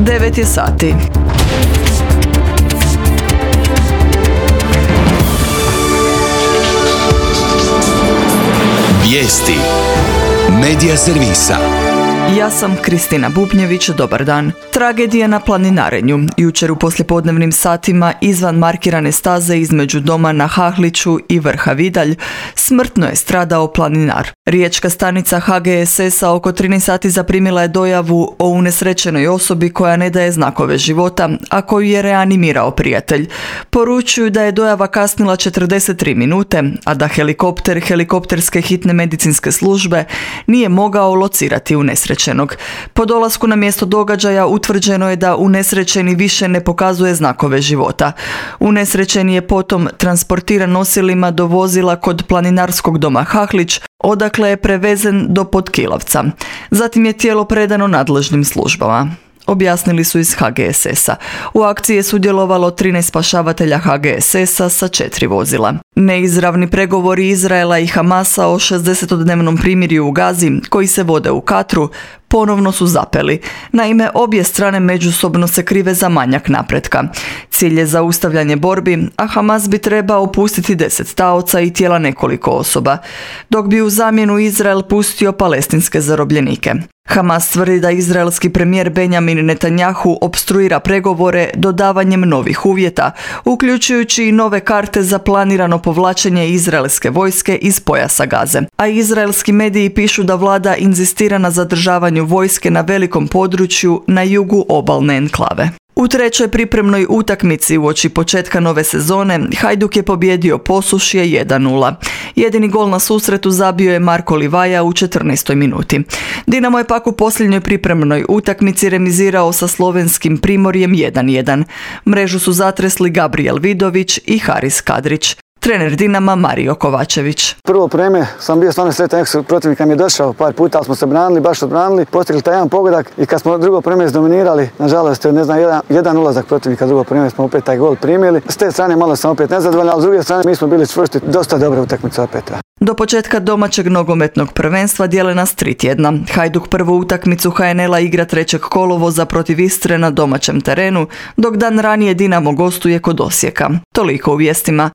9 je sati. Vijesti Medija servisa. Ja sam Kristina Bubnjević, dobar dan. Tragedija na planinarenju. Jučer u poslijepodnevnim satima izvan markirane staze između doma na Hahliću i vrha Vidalj smrtno je stradao planinar. Riječka stanica HGSS-a oko 13 sati zaprimila je dojavu o unesrećenoj osobi koja ne daje znakove života, a koju je reanimirao prijatelj. Poručuju da je dojava kasnila 43 minute, a da helikopter helikopterske hitne medicinske službe nije mogao locirati unesrećenog. Po dolasku na mjesto događaja utvrđeno je da unesrećeni više ne pokazuje znakove života. Unesrećeni je potom transportiran nosilima do vozila kod planinarskog doma Hahlić, odakle je prevezen do Potkilavca. Zatim je tijelo predano nadležnim službama, objasnili su iz HGSS-a. U akciji je sudjelovalo 13 spašavatelja HGSS-a sa 4 vozila. Neizravni pregovori Izraela i Hamasa o 60-dnevnom primirju u Gazi, koji se vode u Katru, ponovno su zapeli. Naime, obje strane međusobno se krive za manjak napretka. Cilj je zaustavljanje borbi, a Hamas bi trebao pustiti 10 taoca i tijela nekoliko osoba, dok bi u zamjenu Izrael pustio palestinske zarobljenike. Hamas tvrdi da izraelski premijer Benjamin Netanjahu opstruira pregovore dodavanjem novih uvjeta, uključujući i nove karte za planirano povlačenje izraelske vojske iz pojasa Gaze. A izraelski mediji pišu da vlada inzistira na zadržavanju vojske na velikom području na jugu obalne enklave. U trećoj pripremnoj utakmici uoči početka nove sezone Hajduk je pobijedio Posušje 1:0. Jedini gol na susretu zabio je Marko Livaja u 14. minuti. Dinamo je pak u posljednjoj pripremnoj utakmici remizirao sa slovenskim Primorjem 1:1. Mrežu su zatresli Gabriel Vidović i Haris Kadrić. Trener Dinama Mario Kovačević. Prvo vreme sam bio stvarno sretan, neko protivnik nam je došao par puta, ali smo se branili, baš odbranili, postigli taj jedan pogodak i kad smo drugo vreme izdominirali, nažalost, jedan ulazak protivnika, drugo vreme smo opet taj gol primili. S te strane malo sam opet nezadovoljan, ali s druge strane mi smo bili čvrsti, dosta dobra utakmica opet. Do početka domaćeg nogometnog prvenstva dijele nas 3 tjedna. Hajduk prvu utakmicu HNL-a igra 3. kolovoza protiv Istre na domaćem terenu, dok dan ranije Dinamo gostuje kod Osijeka. Toliko u vijestima.